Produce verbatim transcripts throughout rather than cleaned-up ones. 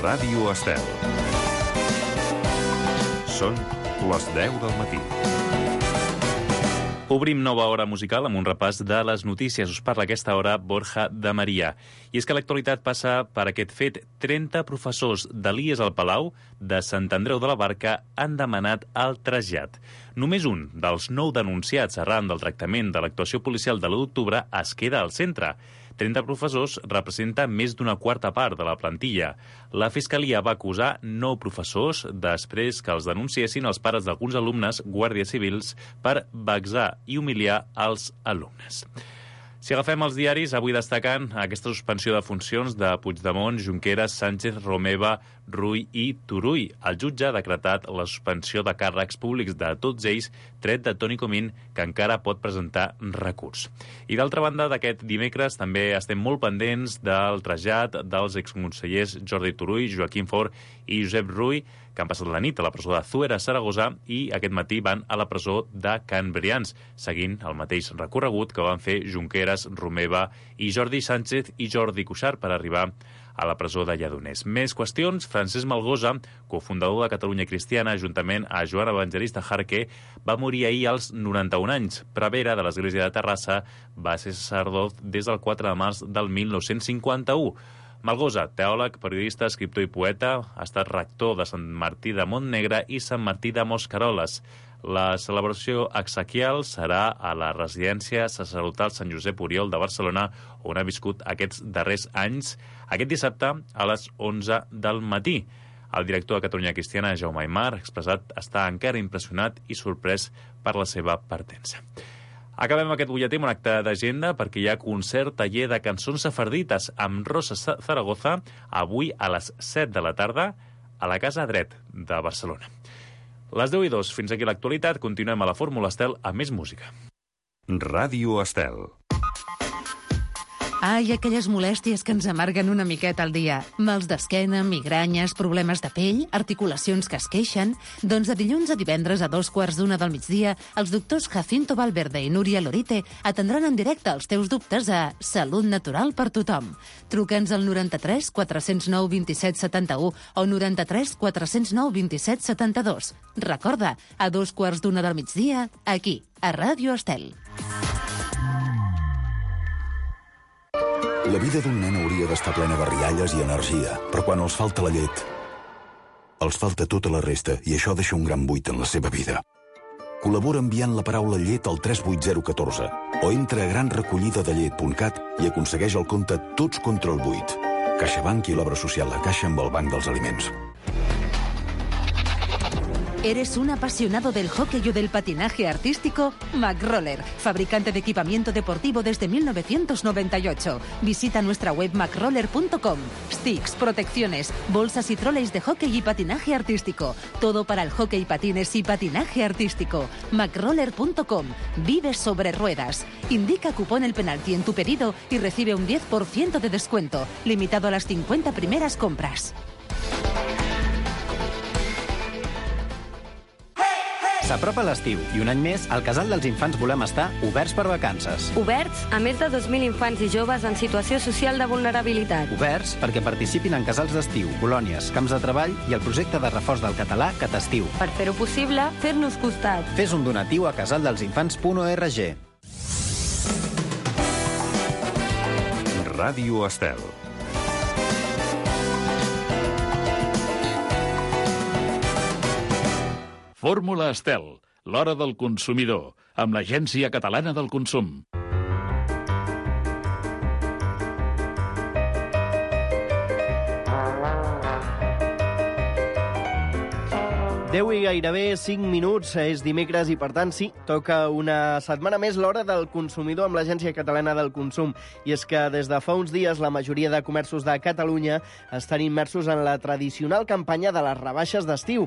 Ràdio Estel. Són les deu del matí. Obrim nova hora musical amb un repàs de les notícies. Us parla a aquesta hora Borja de Maria. I és que l'actualitat passa per aquest fet. trenta professors d'Elies al Palau de Sant Andreu de la Barca han demanat el trasllat. Només un dels nou denunciats arran del tractament de l'actuació policial de l'u d'octubre es queda al centre. trenta professors representa més d'una quarta part de la plantilla. La Fiscalia va acusar nou professors després que els denunciessin els pares d'alguns alumnes guàrdies civils per vexar i humiliar els alumnes. Si agafem els diaris, avui destaquen aquesta suspensió de funcions de Puigdemont, Junqueras, Sánchez, Romeva, Rull i Turull. El jutge ha decretat la suspensió de càrrecs públics de tots ells, tret de Toni Comín, que encara pot presentar recurs. I d'altra banda, d'aquest dimecres també estem molt pendents del trasllat dels exconsellers Jordi Turull, Joaquim Forn i Josep Rull, que han passat la nit a la presó de Zuera, a Saragossa, i aquest matí van a la presó de Can Brians, seguint el mateix recorregut que van fer Junqueras, Romeva i Jordi Sánchez i Jordi Cuixart per arribar a la presó de Lledoners. Més qüestions. Francesc Malgosa, cofundador de Catalunya Cristiana, juntament a Joan Evangelista Jarque, va morir ahir als noranta-un anys. Prevere de l'Església de Terrassa va ser sacerdot des del quatre de març del mil nou-cents cinquanta-u. Malgosa, teòleg, periodista, escriptor i poeta, ha estat rector de Sant Martí de Montnegre i Sant Martí de Mosqueroles. La celebració exequial serà a la residència sacerdotal Sant Josep Oriol de Barcelona, on ha viscut aquests darrers anys, aquest dissabte a les onze del matí. El director de Catalunya Cristiana, Jaume Aymar, ha expressat estar encara impressionat i sorprès per la seva partença. Acabem aquest butlletí amb un acte d'agenda perquè hi ha concert taller de cançons sefardites amb Rosa Zaragoza avui a les set de la tarda a la Casa Dret de Barcelona. Les deu i dos, fins aquí l'actualitat. Continuem a la Fórmula Estel amb més música. Ràdio Estel. Ai, aquelles molèsties que ens amarguen una miqueta al dia. Mals d'esquena, migranyes, problemes de pell, articulacions que es queixen... Doncs de dilluns a divendres a dos quarts d'una del migdia, els doctors Jacinto Valverde i Núria Lorite atendran en directe els teus dubtes a Salut Natural per Tothom. Truca'ns al noranta-tres quatre zero nou vint-i-set setanta-u o noranta-tres quatre zero nou vint-i-set setanta-dos. Recorda, a dos quarts d'una del migdia, aquí, a Ràdio Estel. La vida d'un nen hauria d'estar plena de rialles i energia, però quan els falta la llet, els falta tota la resta i això deixa un gran buit en la seva vida. Col·labora enviant la paraula llet al tres vuit zero un quatre o entra a gran recollida de llet punt cat i aconsegueix el compte Tots contra el buit. CaixaBank i l'obra social La Caixa amb el Banc dels Aliments. ¿Eres un apasionado del hockey o del patinaje artístico? McRoller, fabricante de equipamiento deportivo desde mil novecientos noventa y ocho. Visita nuestra web macroller punto com. Sticks, protecciones, bolsas y troleys de hockey y patinaje artístico. Todo para el hockey, patines y patinaje artístico. macroller punto com. Vive sobre ruedas. Indica cupón el penalti en tu pedido y recibe un diez por ciento de descuento, limitado a las cincuenta primeras compras. S'apropa l'estiu i un any més al Casal dels Infants volem estar oberts per vacances. Oberts a més de dos mil infants i joves en situació social de vulnerabilitat. Oberts perquè participin en casals d'estiu, colònies, camps de treball i el projecte de reforç del català Catastiu. Per fer-ho possible, fer-nos costat. Fes un donatiu a casaldelsinfants punt org. Ràdio Estel. Fórmula Estel, l'hora del consumidor, amb l'Agència Catalana del Consum. deu i gairebé cinc minuts, és dimecres i, per tant, sí, toca una setmana més l'hora del consumidor amb l'Agència Catalana del Consum. I és que des de fa uns dies la majoria de comerços de Catalunya estan immersos en la tradicional campanya de les rebaixes d'estiu.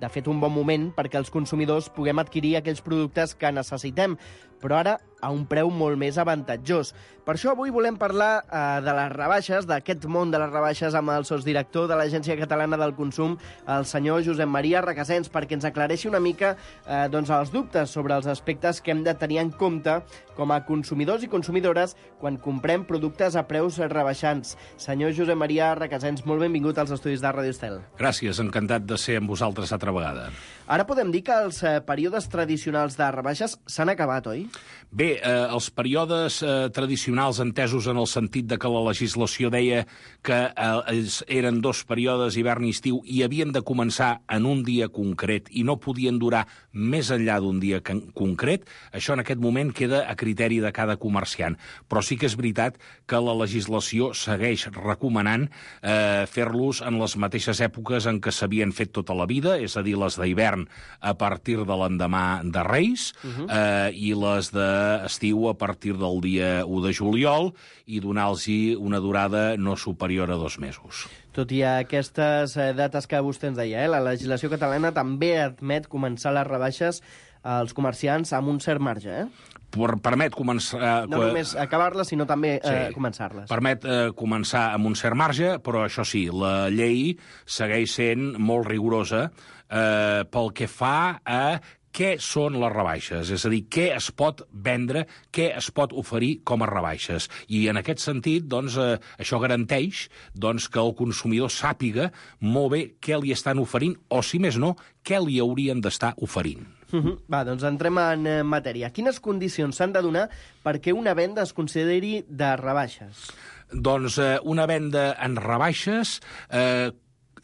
De fet, un bon moment perquè els consumidors puguem adquirir aquells productes que necessitem. Però ara a un preu molt més avantatjós. Per això avui volem parlar eh, de les rebaixes, d'aquest món de les rebaixes, amb el sotsdirector de l'Agència Catalana del Consum, el senyor Josep Maria Requesens, perquè ens aclareixi una mica eh, doncs els dubtes sobre els aspectes que hem de tenir en compte com a consumidors i consumidores quan comprem productes a preus rebaixants. Senyor Josep Maria Requesens, molt benvingut als estudis de Ràdio Estel. Gràcies, encantat de ser amb vosaltres altra vegada. Ara podem dir que els eh, períodes tradicionals de rebaixes s'han acabat, oi? Bé, eh, els períodes eh, tradicionals entesos en el sentit de que la legislació deia que eh, eren dos períodes, hivern i estiu, i havien de començar en un dia concret i no podien durar més enllà d'un dia concret, això en aquest moment queda a criteri de cada comerciant. Però sí que és veritat que la legislació segueix recomanant eh, fer-los en les mateixes èpoques en què s'havien fet tota la vida, és a dir, les d'hivern a partir de l'endemà de Reis uh-huh. eh, i les d'estiu a partir del dia u de juliol i donar-los una durada no superior a dos mesos. Tot i aquestes dates que vostè ens deia, eh, la legislació catalana també admet començar les rebaixes als comerciants amb un cert marge, eh? Per, permet començar... No només acabar-les, sinó també sí, eh, començar-les. Permet eh, començar amb un cert marge, però això sí, la llei segueix sent molt rigorosa eh, pel que fa a què són les rebaixes, és a dir, què es pot vendre, què es pot oferir com a rebaixes. I en aquest sentit, doncs, eh, això garanteix doncs, que el consumidor sàpiga molt bé què li estan oferint, o, si més no, què li haurien d'estar oferint. Uh-huh. Va, doncs entrem en matèria. Quines condicions s'han de donar perquè una venda es consideri de rebaixes? Doncs eh, una venda en rebaixes eh,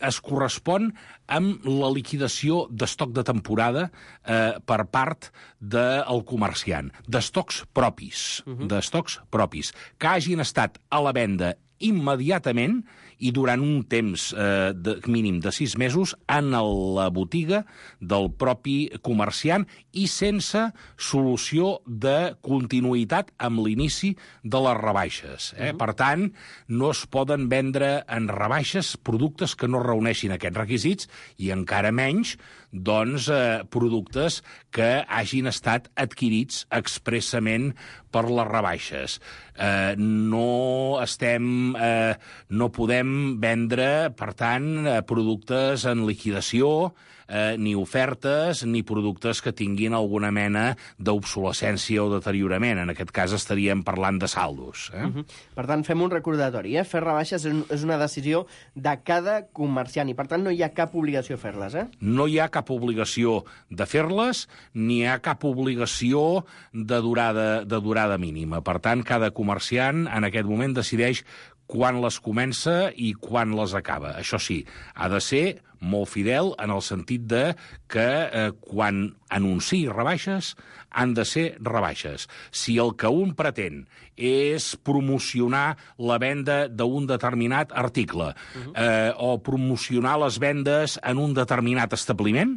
es correspon amb la liquidació d'estoc de temporada eh, per part del comerciant, d'estocs propis, uh-huh. d'estocs propis, que hagin estat a la venda immediatament i durant un temps eh, de, mínim de sis mesos en la botiga del propi comerciant i sense solució de continuïtat amb l'inici de les rebaixes. Eh? Uh-huh. Per tant, no es poden vendre en rebaixes productes que no reuneixin aquests requisits i encara menys doncs, eh, productes que hagin estat adquirits expressament per les rebaixes. Eh, no estem, eh, no podem vendre, per tant, eh, productes en liquidació, eh, ni ofertes, ni productes que tinguin alguna mena d'obsolescència o deteriorament. En aquest cas estaríem parlant de saldos. Eh? Uh-huh. Per tant, fem un recordatori. Eh? Fer rebaixes és una decisió de cada comerciant i, per tant, no hi ha cap obligació a fer-les. Eh? No hi ha cap obligació de fer-les, ni hi ha cap obligació de durada, de durada mínima. Per tant, cada comerciant en aquest moment decideix quan les comença i quan les acaba. Això sí, ha de ser molt fidel en el sentit de que eh, quan anunciï rebaixes han de ser rebaixes. Si el que un pretén és promocionar la venda d'un determinat article uh-huh. eh, o promocionar les vendes en un determinat establiment,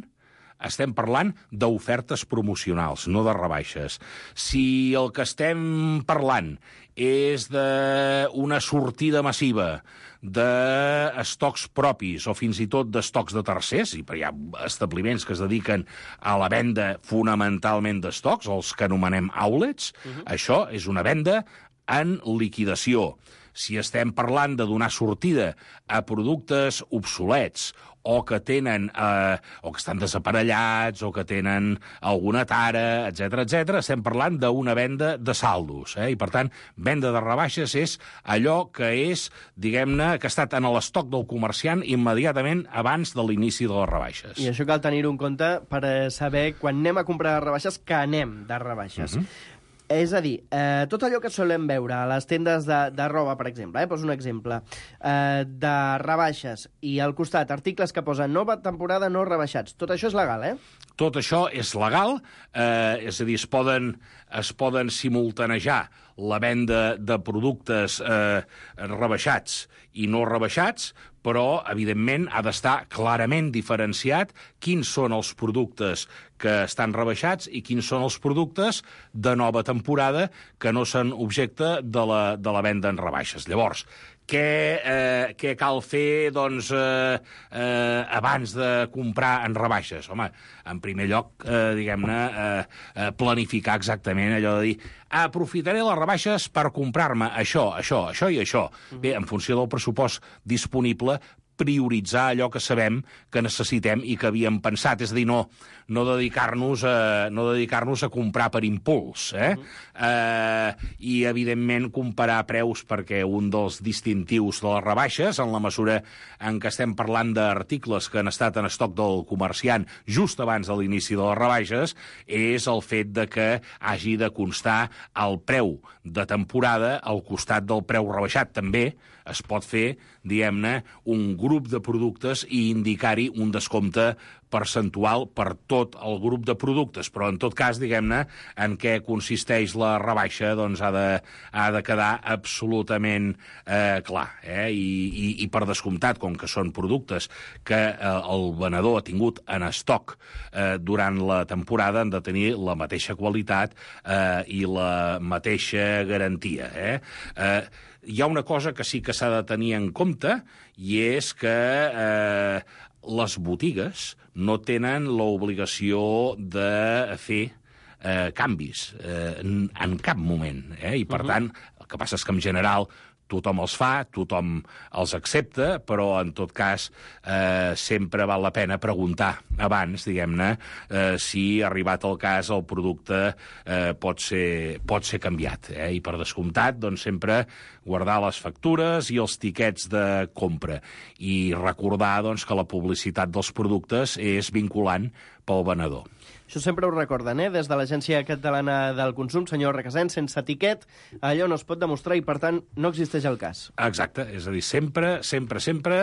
estem parlant d'ofertes promocionals, no de rebaixes. Si el que estem parlant és d'una sortida massiva d'estocs propis o fins i tot d'estocs de tercers, i hi ha establiments que es dediquen a la venda fonamentalment d'estocs, els que anomenem outlets, uh-huh. això és una venda en liquidació. Si estem parlant de donar sortida a productes obsolets o que tenen, eh, o que estan desaparellats, o que tenen alguna tara, etcètera, etcètera, estem parlant d'una venda de saldos. Eh? I, per tant, venda de rebaixes és allò que és, diguem-ne, que ha estat en l'estoc del comerciant immediatament abans de l'inici de les rebaixes. I això cal tenir-ho en compte per saber, quan anem a comprar rebaixes, que anem de rebaixes. Uh-huh. És a dir, eh, tot allò que solem veure a les tendes de, de roba, per exemple, eh, poso un exemple, eh, de rebaixes, i al costat articles que posen nova temporada no rebaixats. Tot això és legal, eh? Tot això és legal, eh, és a dir, es poden, es poden simultanejar la venda de productes eh, rebaixats i no rebaixats, però, evidentment, ha d'estar clarament diferenciat quins són els productes que estan rebaixats i quins són els productes de nova temporada que no són objecte de la, de la venda en rebaixes. Llavors, què, eh, què cal fer doncs, eh, eh, abans de comprar en rebaixes? Home, en primer lloc, eh, diguem-ne, eh, planificar exactament allò de dir aprofitaré les rebaixes per comprar-me això, això, això i això. Bé, en funció del pressupost disponible, prioritzar allò que sabem que necessitem i que havíem pensat. És a dir, no, no dedicar-nos a, no dedicar-nos a comprar per impuls. Eh? Uh-huh. eh, I, evidentment, comparar preus, perquè un dels distintius de les rebaixes, en la mesura en què estem parlant d'articles que han estat en estoc del comerciant just abans de l'inici de les rebaixes, és el fet de que hagi de constar el preu de temporada al costat del preu rebaixat. També es pot fer, diguem-ne, un grup de productes i indicar-hi un descompte percentual per tot el grup de productes, però en tot cas, diguem-ne, en què consisteix la rebaixa, doncs ha de, ha de quedar absolutament eh, clar. Eh? I, i, I per descomptat, com que són productes que eh, el venedor ha tingut en estoc eh, durant la temporada, han de tenir la mateixa qualitat eh, i la mateixa garantia. Eh? Eh, hi ha una cosa que sí que s'ha de tenir en compte, i és que eh, les botigues no tenen l'obligació de fer eh, canvis eh, en, en cap moment. Eh? I, per uh-huh. tant, el que passa és que, en general, tothom els fa, tothom els accepta, però, en tot cas, eh, sempre val la pena preguntar abans, diguem-ne, eh, si, arribat el cas, el producte eh, pot ser, pot ser canviat. Eh? I, per descomptat, doncs, sempre guardar les factures i els tiquets de compra. I recordar, doncs, que la publicitat dels productes és vinculant pel venedor. Això sempre ho recorden, eh? Des de l'Agència Catalana del Consum, senyor Requesens, sense etiquet, allò no es pot demostrar i, per tant, no existeix el cas. Exacte, és a dir, sempre, sempre, sempre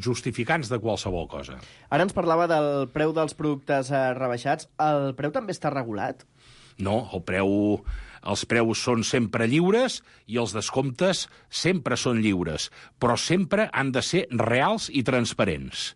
justificants de qualsevol cosa. Ara ens parlava del preu dels productes eh, rebaixats. El preu també està regulat? No, el preu, els preus són sempre lliures i els descomptes sempre són lliures, però sempre han de ser reals i transparents.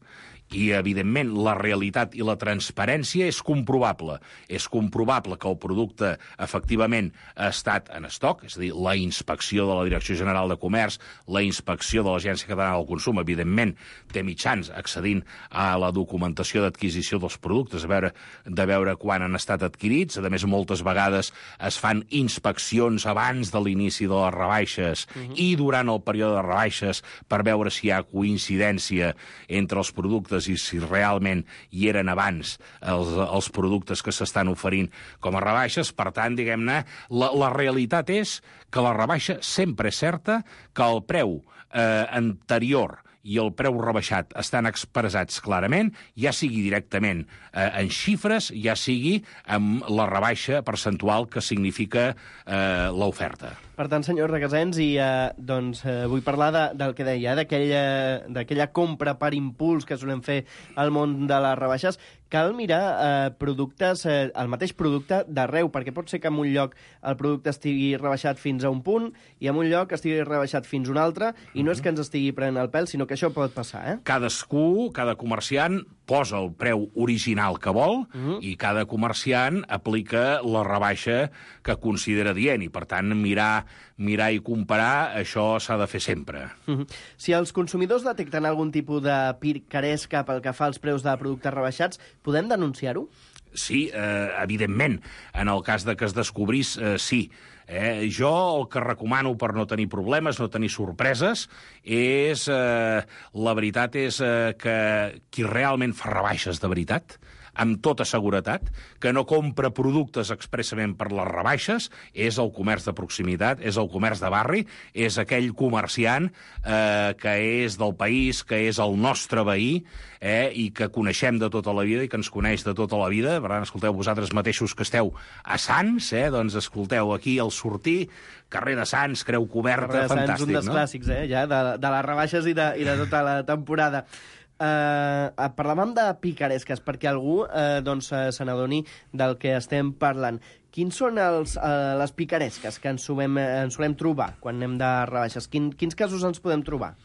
I, evidentment, la realitat i la transparència és comprovable. És comprovable que el producte, efectivament, ha estat en estoc, és a dir, la inspecció de la Direcció General de Comerç, la inspecció de l'Agència Catalana del Consum, evidentment, té mitjans accedint a la documentació d'adquisició dels productes, a veure, de veure quan han estat adquirits. A més, moltes vegades es fan inspeccions abans de l'inici de les rebaixes uh-huh. i durant el període de rebaixes per veure si hi ha coincidència entre els productes i si realment hi eren abans els, els productes que s'estan oferint com a rebaixes. Per tant, diguem-ne, la, la realitat és que la rebaixa sempre és certa, que el preu eh, anterior i el preu rebaixat estan expressats clarament, ja sigui directament eh, en xifres, ja sigui amb la rebaixa percentual que significa eh, l'oferta. Per tant, senyor Requesens, i eh, doncs, eh, vull parlar de, del que deia, eh, d'aquella compra per impuls que solem fer al món de les rebaixes. Cal mirar eh, productes, eh, el mateix producte d'arreu, perquè pot ser que en un lloc el producte estigui rebaixat fins a un punt i en un lloc estigui rebaixat fins a un altre, i no és que ens estigui prenent el pèl, sinó que això pot passar. Eh? Cadascú, cada comerciant, posa el preu original que vol uh-huh. i cada comerciant aplica la rebaixa que considera dient, i, per tant, mirar, mirar i comparar, això s'ha de fer sempre. Uh-huh. Si els consumidors detecten algun tipus de picaresca pel que fa als preus de productes rebaixats, podem denunciar-ho? Sí, eh, evidentment. En el cas de que es descobrís, eh, sí. Eh, jo el que recomano per no tenir problemes, no tenir sorpreses, és... Eh, la veritat és eh, que qui realment fa rebaixes de veritat, amb tota seguretat, que no compra productes expressament per les rebaixes, és el comerç de proximitat, és el comerç de barri, és aquell comerciant eh, que és del país, que és el nostre veí, eh, i que coneixem de tota la vida i que ens coneix de tota la vida. Per tant, escolteu, vosaltres mateixos que esteu a Sants, eh, doncs escolteu aquí al sortir, carrer de Sants, Creu Coberta, carrer de Sants, fantàstic, un dels no? clàssics, eh, ja, de, de les rebaixes i de, i de tota la temporada. Uh, parlàvem de picaresques perquè algú uh, doncs, uh, se n'adoni del que estem parlant. Quins són els, uh, les picaresques que ens solem, ens solem trobar quan anem de rebaixes? Quin, quins casos ens podem trobar?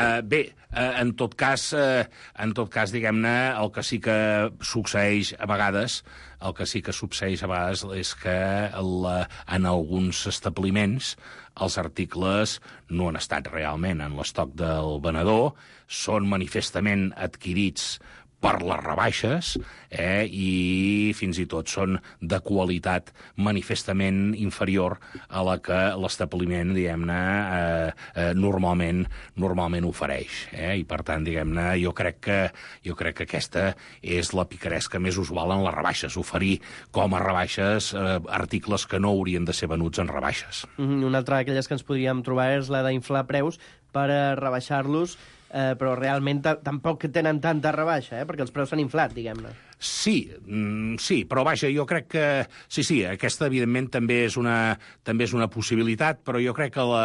Uh, bé, uh, en tot cas, uh, en tot cas, diguem-ne, el que sí que succeeix a vegades, el que sí que succeeix a vegades és que la, en alguns establiments els articles no han estat realment en l'estoc del venedor, són manifestament adquirits per les rebaixes, eh, i fins i tot són de qualitat manifestament inferior a la que l'establiment, diguem-ne, eh, eh, normalment normalment ofereix. Eh? I, per tant, diguem-ne, jo crec que jo crec que aquesta és la picaresca més usual en les rebaixes, oferir com a rebaixes eh, articles que no haurien de ser venuts en rebaixes. Mm, una altra d'aquelles que ens podríem trobar és la d'inflar preus per a rebaixar-los, Eh, però realment tampoc tenen tanta rebaixa, eh? Perquè els preus s'han inflat, diguem-ne. Sí, mm, sí, però vaja, jo crec que... Sí, sí, aquesta evidentment també és una, també és una possibilitat, però jo crec que la,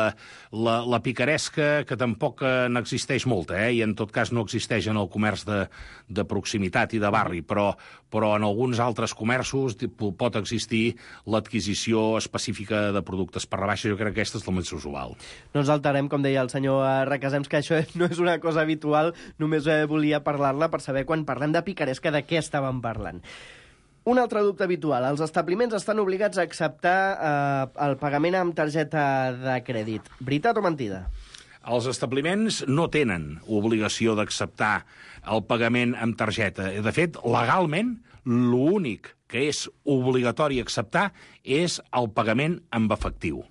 la, la picaresca, que tampoc n'existeix molta, eh? I en tot cas no existeix en el comerç de, de proximitat i de barri, però, però en alguns altres comerços pot existir l'adquisició específica de productes per rebaixa. Jo crec que aquesta és la més usual. No ens alterem, com deia el senyor Requesens, que això no és una cosa habitual, només volia parlar-la per saber quan parlem de picaresca de què estàvem parlant. Un altre dubte habitual. Els establiments estan obligats a acceptar eh, el pagament amb targeta de crèdit. Veritat o mentida? Els establiments no tenen obligació d'acceptar el pagament amb targeta. De fet, legalment, l'únic que és obligatori acceptar és el pagament amb efectiu.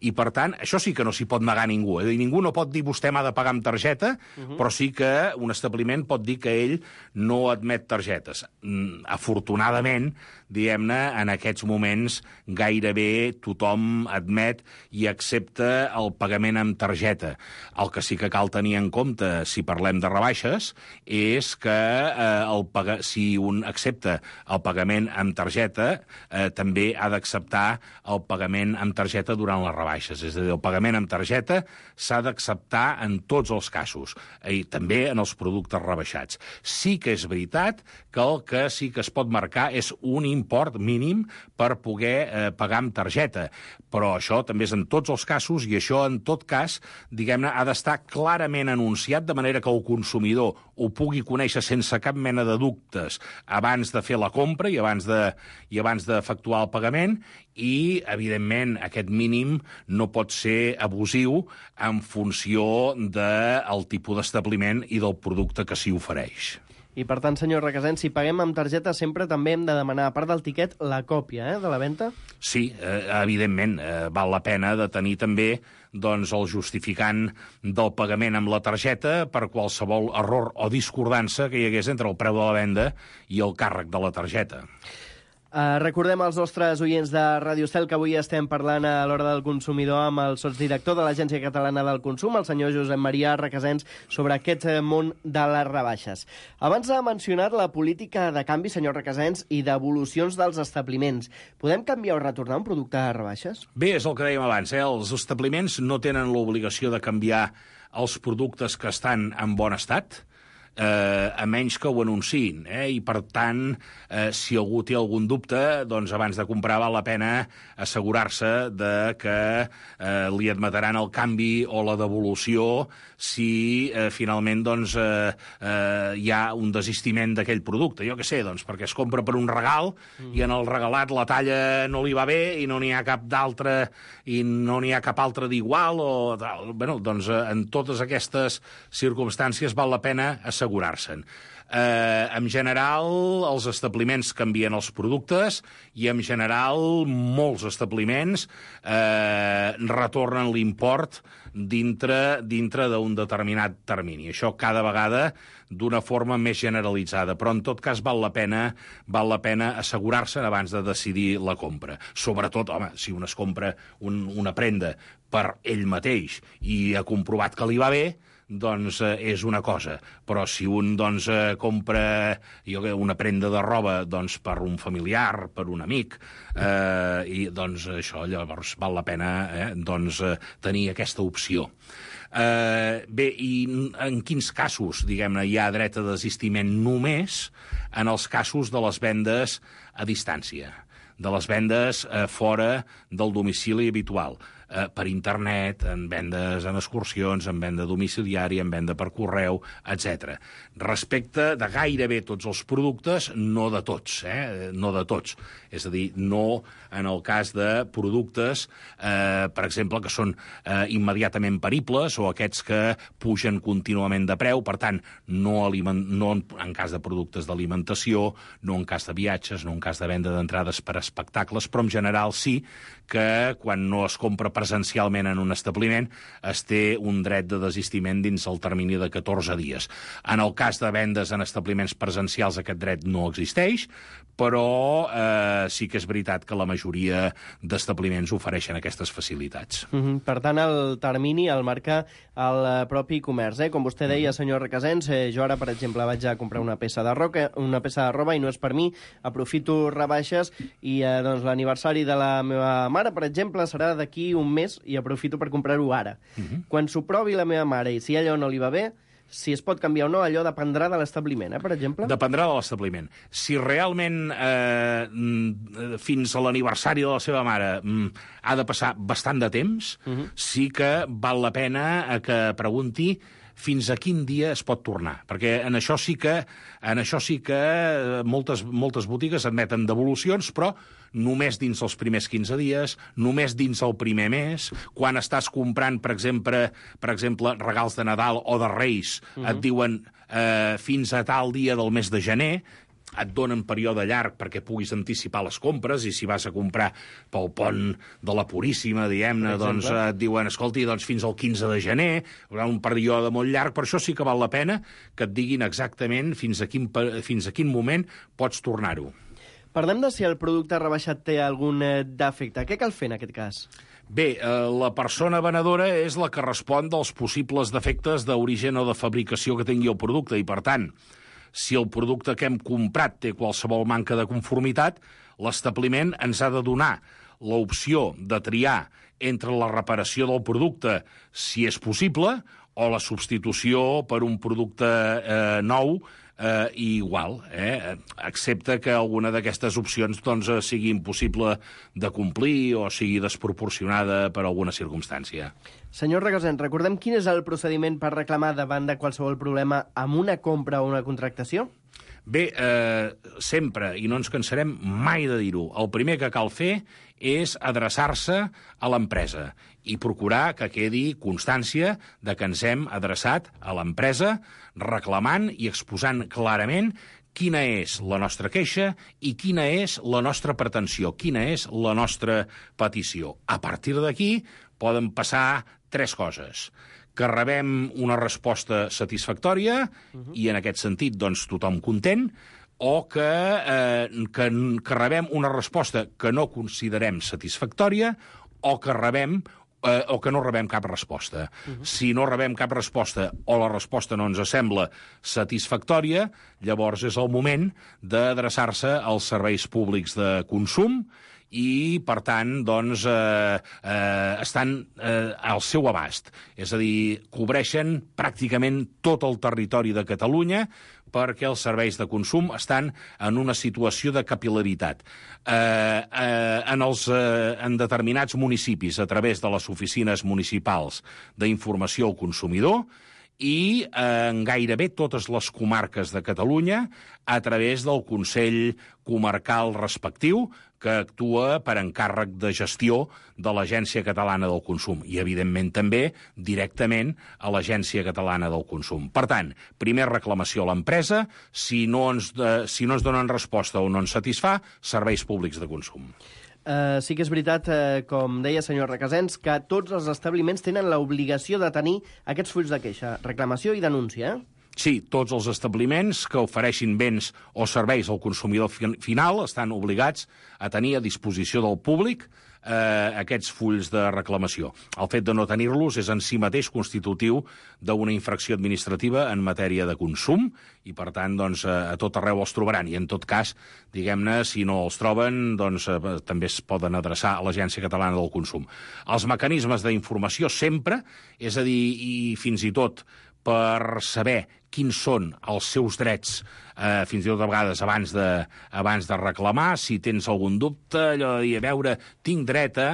I, per tant, això sí que no s'hi pot negar a ningú. És a dir, ningú no pot dir vostè m'ha de pagar amb targeta, uh-huh. però sí que un establiment pot dir que ell no admet targetes. Mm, afortunadament, diguem-ne, en aquests moments gairebé tothom admet i accepta el pagament amb targeta. El que sí que cal tenir en compte, si parlem de rebaixes, és que eh, el pag... si un accepta el pagament amb targeta, eh, també ha d'acceptar el pagament amb targeta durant les rebaixes. És a dir, el pagament amb targeta s'ha d'acceptar en tots els casos, i també en els productes rebaixats. Sí que és veritat que el que sí que es pot marcar és un import mínim per poder eh, pagar amb targeta, però això també és en tots els casos, i això en tot cas, diguem-ne, ha d'estar clarament anunciat, de manera que el consumidor ho pugui conèixer sense cap mena de dubtes abans de fer la compra i abans de, i abans d'efectuar el pagament, i, evidentment, aquest mínim no pot ser abusiu en funció del tipus d'establiment i del producte que s'hi ofereix. I, per tant, senyor Requesens, si paguem amb targeta sempre també hem de demanar, a part del tiquet, la còpia eh, de la venda? Sí, eh, evidentment, eh, val la pena de tenir també doncs, el justificant del pagament amb la targeta per qualsevol error o discordança que hi hagués entre el preu de la venda i el càrrec de la targeta. Uh, recordem als nostres oients de Ràdio Estel que avui estem parlant a l'Hora del Consumidor amb el sotsdirector de l'Agència Catalana del Consum, el senyor Josep Maria Requesens, sobre aquest món de les rebaixes. Abans ha mencionat la política de canvi, senyor Requesens, i d'evolucions dels establiments. Podem canviar o retornar un producte a rebaixes? Bé, és el que dèiem abans, eh? Els establiments no tenen l'obligació de canviar els productes que estan en bon estat, Eh, a menys que ho anunciïn, eh? I per tant, eh, si algú té algun dubte, doncs abans de comprar val la pena assegurar-se de que eh, li admetaran el canvi o la devolució si eh, finalment doncs, eh, eh, hi ha un desistiment d'aquell producte. Jo què sé, doncs, perquè es compra per un regal mm. i en el regalat la talla no li va bé i no n'hi ha cap d'altre i no n'hi ha cap altre d'igual o tal. Bueno, doncs eh, en totes aquestes circumstàncies val la pena assegurar assegurar-se'n. Eh, en general, els establiments canvien els productes i, en general, molts establiments eh, retornen l'import dintre, dintre d'un determinat termini. Això cada vegada d'una forma més generalitzada, però en tot cas val la pena, val la pena assegurar-se abans de decidir la compra. Sobretot, home, si un es compra un, una prenda per ell mateix i ha comprovat que li va bé, doncs eh, és una cosa, però si un doncs, eh, compra jo, una prenda de roba doncs, per un familiar, per un amic, eh, i doncs això llavors val la pena eh, doncs, eh, tenir aquesta opció. Eh, bé, i en quins casos, diguem-ne, hi ha dret a desistiment? Només en els casos de les vendes a distància, de les vendes eh, fora del domicili habitual. eh, per internet, en vendes en excursions, en venda domiciliària, en venda per correu, etcètera. Respecte de gairebé tots els productes, no de tots, eh? no de tots. És a dir, no en el cas de productes, eh, per exemple, que són eh, immediatament peribles o aquests que pugen contínuament de preu, per tant, no, aliment, no en, en cas de productes d'alimentació, no en cas de viatges, no en cas de venda d'entrades per espectacles, però en general sí que quan no es compra presencialment en un establiment es té un dret de desistiment dins el termini de catorze dies. En el cas de vendes en establiments presencials aquest dret no existeix, però eh, sí que és veritat que la majoria d'establiments ofereixen aquestes facilitats. Mm-hmm. Per tant, el termini el marca el propi comerç. Eh? Com vostè deia, senyor Requesens, eh, jo ara, per exemple, vaig a comprar una peça de roca, una peça de roba i no és per mi, aprofito rebaixes i eh, doncs, l'aniversari de la meva mare, per exemple, serà d'aquí un mes i aprofito per comprar-ho ara. Mm-hmm. Quan s'ho provi la meva mare i si allò no li va bé, si es pot canviar o no, allò dependrà de l'establiment, eh, per exemple? Dependrà de l'establiment. Si realment eh, fins a l'aniversari de la seva mare mm, ha de passar bastant de temps, uh-huh. sí que val la pena que pregunti fins a quin dia es pot tornar. Perquè en això sí que, en això sí que moltes, moltes botigues admeten devolucions, però només dins els primers quinze dies, només dins el primer mes. Quan estàs comprant, per exemple, per exemple regals de Nadal o de Reis, uh-huh. et diuen eh, fins a tal dia del mes de gener, et donen període llarg perquè puguis anticipar les compres, i si vas a comprar pel pont de la Puríssima, diguem-ne, doncs et diuen, escolti, doncs fins al quinze de gener, hi haurà un període molt llarg, per això sí que val la pena que et diguin exactament fins a quin, fins a quin moment pots tornar-ho. Parlem de si el producte rebaixat té algun defecte. Què cal fer en aquest cas? Bé, eh, la persona venedora és la que respon dels possibles defectes d'origen o de fabricació que tingui el producte, i per tant, si el producte que hem comprat té qualsevol manca de conformitat, l'establiment ens ha de donar l'opció de triar entre la reparació del producte, si és possible, o la substitució per un producte eh, nou eh, i igual, eh? excepte que alguna d'aquestes opcions doncs, sigui impossible de complir o sigui desproporcionada per alguna circumstància. Senyor Requesens, recordem quin és el procediment per reclamar davant de qualsevol problema amb una compra o una contractació? Bé, eh, sempre, i no ens cansarem mai de dir-ho, el primer que cal fer és adreçar-se a l'empresa i procurar que quedi constància de que ens hem adreçat a l'empresa reclamant i exposant clarament quina és la nostra queixa i quina és la nostra pretensió, quina és la nostra petició. A partir d'aquí poden passar tres coses. Que rebem una resposta satisfactòria, uh-huh. i en aquest sentit doncs, tothom content, o que, eh, que, que rebem una resposta que no considerem satisfactòria, o que rebem eh, o que no rebem cap resposta. Uh-huh. Si no rebem cap resposta o la resposta no ens sembla satisfactòria, llavors és el moment d'adreçar-se als serveis públics de consum i, per tant, doncs, eh, eh, estan eh, al seu abast. És a dir, cobreixen pràcticament tot el territori de Catalunya perquè els serveis de consum estan en una situació de capil·laritat. Eh, eh, en, els, eh, en determinats municipis, a través de les oficines municipals d'informació al consumidor, i en gairebé totes les comarques de Catalunya a través del Consell Comarcal respectiu, que actua per encàrrec de gestió de l'Agència Catalana del Consum i, evidentment, també directament a l'Agència Catalana del Consum. Per tant, primer reclamació a l'empresa, si no ens, eh, si no ens donen resposta o no ens satisfà, serveis públics de consum. Uh, sí que és veritat, uh, com deia senyor Requesens, que tots els establiments tenen l'obligació de tenir aquests fulls de queixa, reclamació i denúncia, eh? Sí, tots els establiments que ofereixin béns o serveis al consumidor final estan obligats a tenir a disposició del públic eh, aquests fulls de reclamació. El fet de no tenir-los és en si mateix constitutiu d'una infracció administrativa en matèria de consum i, per tant, doncs, a tot arreu els trobaran. I, en tot cas, diguem-ne, si no els troben, doncs, eh, també es poden adreçar a l'Agència Catalana del Consum. Els mecanismes d'informació sempre, és a dir, i fins i tot per saber quins són els seus drets, eh, fins i tot a vegades abans de, abans de reclamar, si tens algun dubte, allò de dir, a veure, tinc dret a...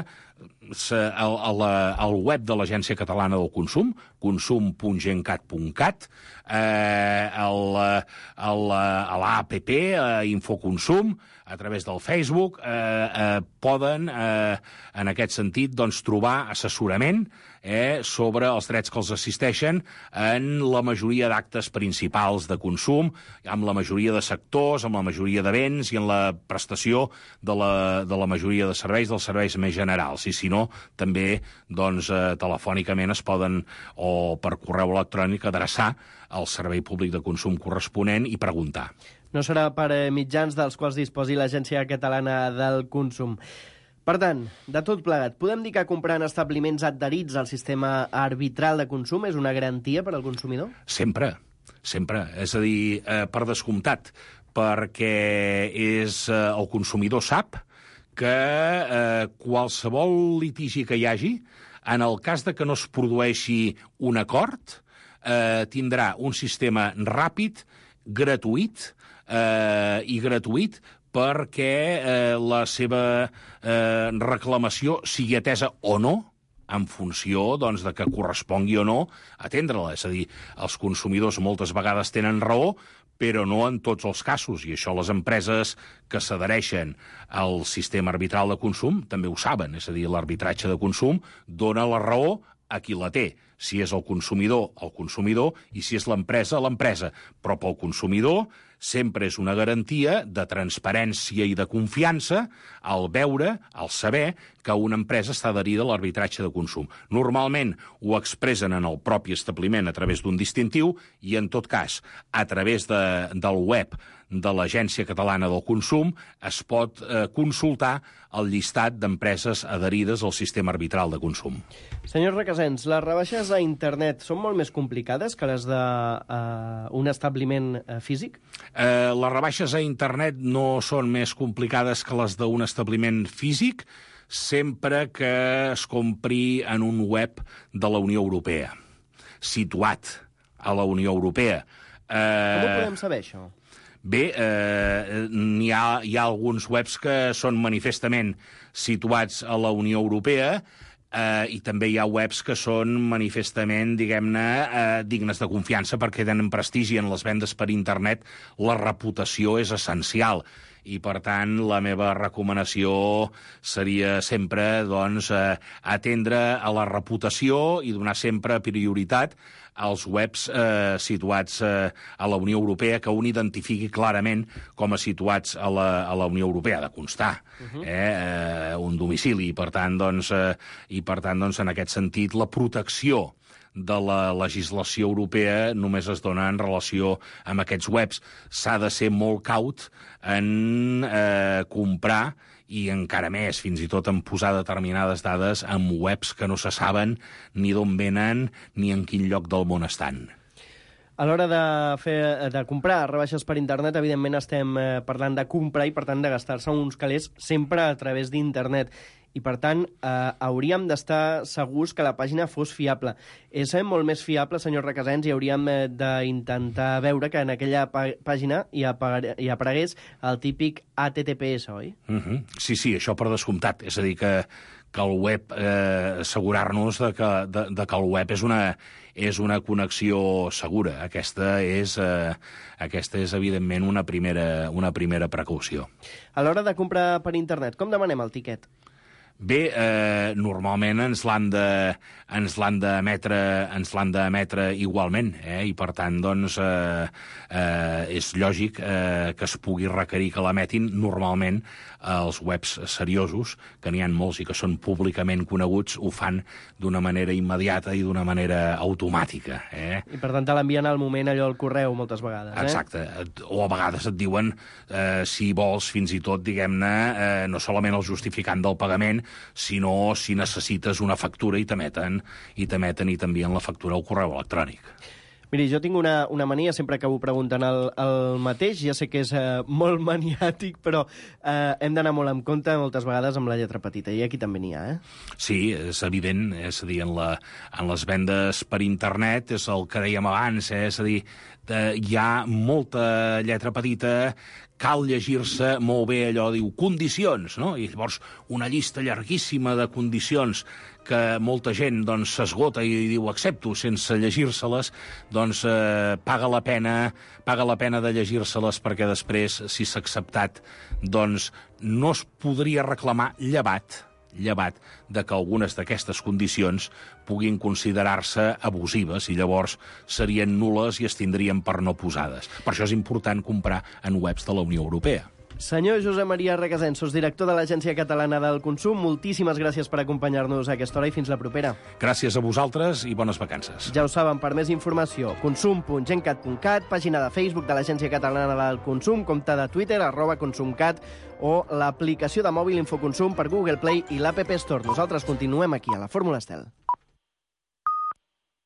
Al, al web de l'Agència Catalana del Consum, consum punt gencat punt cat, eh, el, el, a l'App, a Infoconsum, a través del Facebook, eh, eh, poden, eh, en aquest sentit, doncs, trobar assessorament eh, sobre els drets que els assisteixen en la majoria d'actes principals de consum, amb la majoria de sectors, amb la majoria de béns i en la prestació de la, de la majoria de serveis, dels serveis més generals. I si no, també doncs, eh, telefònicament es poden, o per correu electrònic, adreçar al servei públic de consum corresponent i preguntar. No serà per mitjans dels quals disposi l'Agència Catalana del Consum. Per tant, de tot plegat, podem dir que comprar en establiments adherits al sistema arbitral de consum és una garantia per al consumidor? Sempre, sempre. És a dir, eh, per descomptat, perquè és, eh, el consumidor sap que eh, qualsevol litigi que hi hagi, en el cas de que no es produeixi un acord, eh, tindrà un sistema ràpid, gratuït, eh, i gratuït perquè eh, la seva eh, reclamació sigui atesa o no, en funció doncs, de que correspongui o no atendre-la. És a dir, els consumidors moltes vegades tenen raó, però no en tots els casos, i això les empreses que s'adhereixen al sistema arbitral de consum també ho saben, és a dir, l'arbitratge de consum dona la raó a qui la té, si és el consumidor, el consumidor, i si és l'empresa, l'empresa. Però pel consumidor sempre és una garantia de transparència i de confiança al veure, al saber que una empresa està adherida a l'arbitratge de consum. Normalment ho expressen en el propi establiment a través d'un distintiu i, en tot cas, a través de, del web de l'Agència Catalana del Consum es pot eh, consultar el llistat d'empreses adherides al sistema arbitral de consum. Senyor Requesens, les rebaixes a internet són molt més complicades que les d'un uh, establiment uh, físic? Eh, les rebaixes a internet no són més complicades que les d'un establiment físic, sempre que es compri en un web de la Unió Europea, situat a la Unió Europea. Eh... Com ho podem saber, això? Bé, eh, hi ha, hi ha alguns webs que són manifestament situats a la Unió Europea eh, i també hi ha webs que són manifestament, diguem-ne, eh, dignes de confiança perquè tenen prestigi en les vendes per internet. La reputació és essencial i, per tant, la meva recomanació seria sempre doncs, eh, atendre a la reputació i donar sempre prioritat als webs eh, situats eh, a la Unió Europea, que un identifiqui clarament com a situats a la, a la Unió Europea, de constar uh-huh. eh, eh, un domicili. I, per tant, doncs, eh, i, per tant doncs, en aquest sentit, la protecció de la legislació europea només es dona en relació amb aquests webs. S'ha de ser molt caut en eh, comprar i encara més, fins i tot en posar determinades dades en webs que no se saben ni d'on venen ni en quin lloc del món estan. A l'hora de, fer, de comprar rebaixes per internet, evidentment estem parlant de comprar i, per tant, de gastar-se uns calés sempre a través d'internet. I, per tant, eh, hauríem d'estar segurs que la pàgina fos fiable. És molt més fiable, senyor Requesens, i hauríem eh, d'intentar veure que en aquella pàgina hi, apare hi aparegués el típic H T T P S, oi? Uh-huh. Sí, sí, això per descomptat. És a dir, que, que el web, eh, assegurar-nos de, que, de, de que el web és una, és una connexió segura. Aquesta és, eh, aquesta és evidentment, una primera, una primera precaució. A l'hora de comprar per internet, com demanem el tiquet? Bé, eh, normalment ens l'han de, ens l'han d'emetre, ens l'han d'emetre igualment, eh? I per tant, doncs, eh, eh, és lògic eh, que es pugui requerir que l'emetin. Normalment eh, els webs seriosos, que n'hi ha molts i que són públicament coneguts, ho fan d'una manera immediata i d'una manera automàtica. Eh? I per tant te l'envien al moment allò al correu moltes vegades, eh? Exacte. O a vegades et diuen, eh, si vols, fins i tot, diguem-ne, eh, no solament el justificant del pagament, sinó si necessites una factura i t'emeten i t'emeten i t'envien la factura al correu electrònic. Miri, jo tinc una, una mania, sempre acabo preguntant el, el mateix, ja sé que és eh, molt maniàtic, però eh, hem d'anar molt en compte moltes vegades amb la lletra petita, i aquí també n'hi ha, eh? Sí, és evident, és a dir, en, la, en les vendes per internet, és el que dèiem abans, eh? És a dir, eh, hi ha molta lletra petita, cal llegir-se molt bé allò, diu, condicions, no? I llavors una llista llarguíssima de condicions que molta gent doncs s'esgota i diu accepto sense llegir-se-les, doncs eh, paga la pena paga la pena de llegir-se-les, perquè després, si s'ha acceptat, doncs no es podria reclamar llevat llevat de que algunes d'aquestes condicions puguin considerar-se abusives i llavors serien nules i es tindrien per no posades. Per això és important comprar en webs de la Unió Europea. Senyor Josep Maria Requesens, director de l'Agència Catalana del Consum, moltíssimes gràcies per acompanyar-nos a aquesta hora i fins la propera. Gràcies a vosaltres i bones vacances. Ja ho saben, per més informació, consum punt gencat punt cat, pàgina de Facebook de l'Agència Catalana del Consum, compte de Twitter, arroba consumcat, o l'aplicació de mòbil Infoconsum per Google Play i l'App Store. Nosaltres continuem aquí, a la Fórmula Estel.